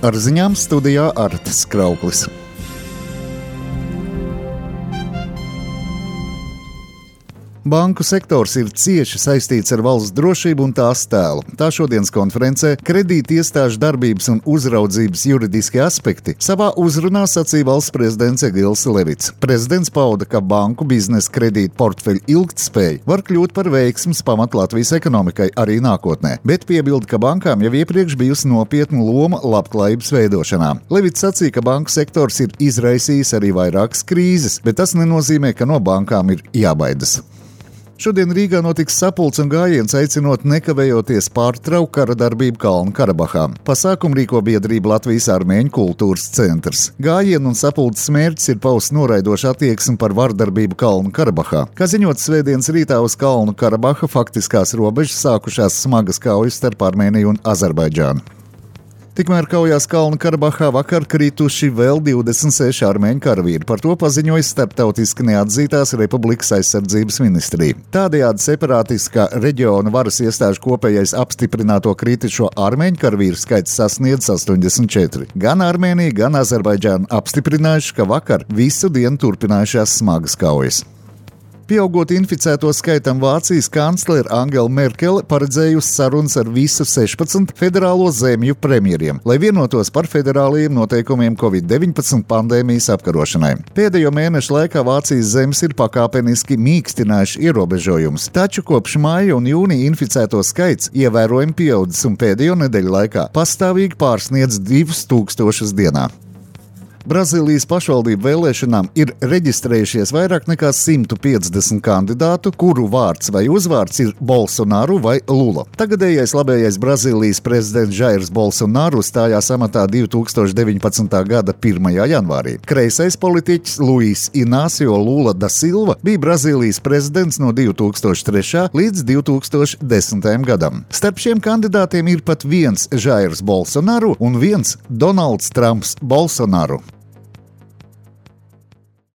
Ar ziņām studijā Artis Krauklis. Banku sektors ir cieši saistīts ar valsts drošību un tās tēlu. Tā šodienas konferencē kredīti iestāžu darbības un uzraudzības juridiskie aspekti savā uzrunā sacīja valsts prezidents Egils Levits. Prezidents pauda, ka banku biznesa kredītu portfeļu ilgtspēja var kļūt par veiksmes pamatu Latvijas ekonomikai arī nākotnē, bet piebilda, ka bankām jau iepriekš bijusi nopietna loma labklājības veidošanā. Levits sacīja, ka banku sektors ir izraisījis arī vairākas krīzes, bet tas nenozīmē, ka no bankām ir jābaidas. Šodien Rīgā notiks sapulce un gājiens aicinot nekavējoties pārtraukt kara darbību Kalnu-Karabahā. Pasākumu rīko biedrība Latvijas Armēņu kultūras centrs. Gājienu un sapulces mērķis ir paust noraidošu attieksmi par vardarbību Kalnu-Karabahā. Kā ziņots svētdienas rītā uz Kalnu-Karabaha faktiskās robežas sākušās smagas kaujas starp Armēniju un Azerbaidžānu. Tikmēr kaujās Kalnu-Karabahā vakar krituši vēl 26 armēņu karavīri. Par to paziņoja starptautiski neatzītās republikas aizsardzības ministrija. Tādējādi separātiskā reģiona varas iestāžu kopējais apstiprināto kritušo armēņu karavīru skaits sasniedz 84. Gan Armēnija, gan Azerbaidžāna apstiprinājuši, ka vakar visu dienu turpinājušās smagas kaujas. Pieaugot inficēto skaitam, Vācijas kanclere Angela Merkele paredzējusi sarunas ar visu 16 federālo zemju premjeriem, lai vienotos par federālajiem noteikumiem Covid-19 pandēmijas apkarošanai. Pēdējo mēnešu laikā Vācijas zemes ir pakāpeniski mīkstinājuši ierobežojumus, taču kopš māja un jūnija inficēto skaits ievērojami pieaudzis un pēdējo nedēļu laikā pastāvīgi pārsniedz 2000 dienā. Brazīlijas pašvaldību vēlēšanām ir reģistrējušies vairāk nekā 150 kandidātu, kuru vārds vai uzvārds ir Bolsonaru vai Lula. Tagadējais labējais Brazīlijas prezidents Jairs Bolsonaru stājās amatā 2019. gada 1. janvārī. Kreisais politiķis Luis Inácio Lula da Silva bija Brazīlijas prezidents no 2003. līdz 2010. gadam. Starp šiem kandidātiem ir pat viens Jairs Bolsonaru un viens Donalds Trumps Bolsonaru.